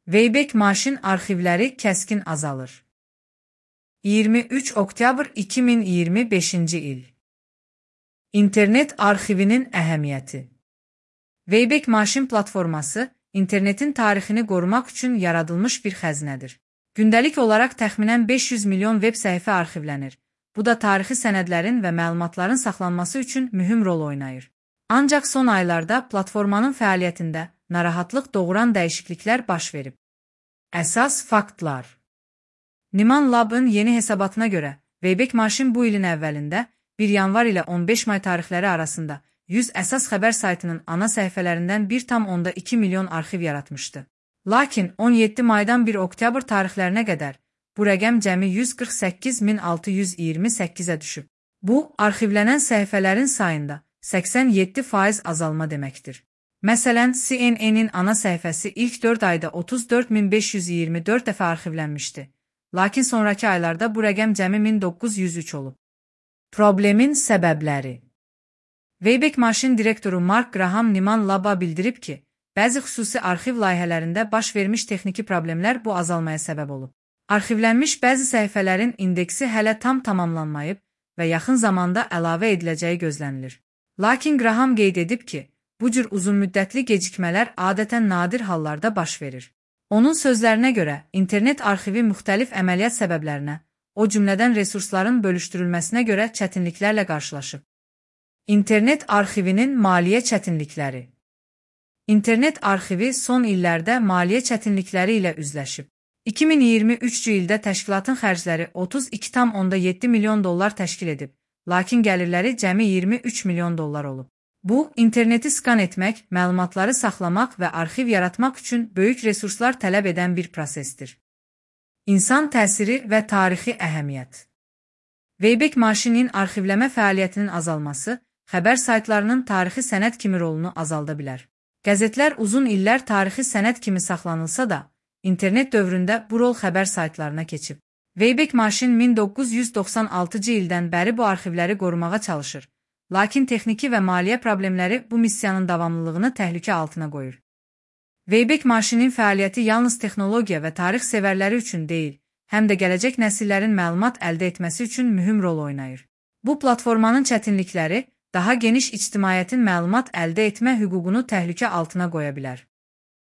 Wayback Machine arxivləri kəskin azalır. 23 oktyabr 2025-ci il. İnternet arxivinin əhəmiyyəti. Wayback Machine platforması internetin tarixini qorumaq üçün yaradılmış bir xəzinədir. Gündəlik olaraq təxminən 500 milyon web səhifə arxivlənir. Bu da tarixi sənədlərin və məlumatların saxlanması üçün mühüm rol oynayır. Ancaq son aylarda platformanın fəaliyyətində narahatlıq doğuran dəyişikliklər baş verib. Əsas faktlar. Niman Lab'ın yeni hesabatına görə, Wayback Machine bu ilin əvvəlində 1 yanvar ilə 15 may tarixləri arasında 100 əsas xəbər saytının ana səhifələrindən 1,2 milyon arxiv yaratmışdı. Lakin 17 maydan 1 oktyabr tarixlərinə qədər bu rəqəm cəmi 148.628-ə düşüb. Bu, arxivlənən səhifələrin sayında 87% azalma deməkdir. Məsələn, CNN-in ana səhifəsi ilk 4 ayda 34.524 dəfə arxivlənmişdi. Lakin sonraki aylarda bu rəqəm cəmi 1903 olub. Problemin səbəbləri. Wayback Machine direktoru Mark Graham Niman Lab'a bildirib ki, bəzi xüsusi arxiv layihələrində baş vermiş texniki problemlər bu azalmaya səbəb olub. Arxivlənmiş bəzi səhifələrin indeksi hələ tam tamamlanmayıb və yaxın zamanda əlavə ediləcəyi gözlənilir. Lakin Graham qeyd edib ki, bu cür uzunmüddətli gecikmələr adətən nadir hallarda baş verir. Onun sözlərinə görə, internet arxivi müxtəlif əməliyyat səbəblərinə, o cümlədən resursların bölüşdürülməsinə görə çətinliklərlə qarşılaşıb. İnternet arxivinin maliyyə çətinlikləri. İnternet arxivi son illərdə maliyyə çətinlikləri ilə üzləşib. 2023-cü ildə təşkilatın xərcləri 32,7 milyon dollar təşkil edib, lakin gəlirləri cəmi 23 milyon dollar olub. Bu, interneti skan etmək, məlumatları saxlamaq və arxiv yaratmaq üçün böyük resurslar tələb edən bir prosesdir. İnsan təsiri və tarixi əhəmiyyət. Wayback Machine'in arxivləmə fəaliyyətinin azalması xəbər saytlarının tarixi sənəd kimi rolunu azalda bilər. Qəzetlər uzun illər tarixi sənəd kimi saxlanılsa da, internet dövründə bu rol xəbər saytlarına keçib. Wayback Machine 1996-cı ildən bəri bu arxivləri qorumağa çalışır. Lakin texniki və maliyyə problemləri bu missiyanın davamlılığını təhlükə altına qoyur. Wayback Machine'in fəaliyyəti yalnız texnologiya və tarix sevərləri üçün deyil, həm də gələcək nəsillərin məlumat əldə etməsi üçün mühüm rol oynayır. Bu platformanın çətinlikləri daha geniş ictimaiyyətin məlumat əldə etmə hüququnu təhlükə altına qoya bilər.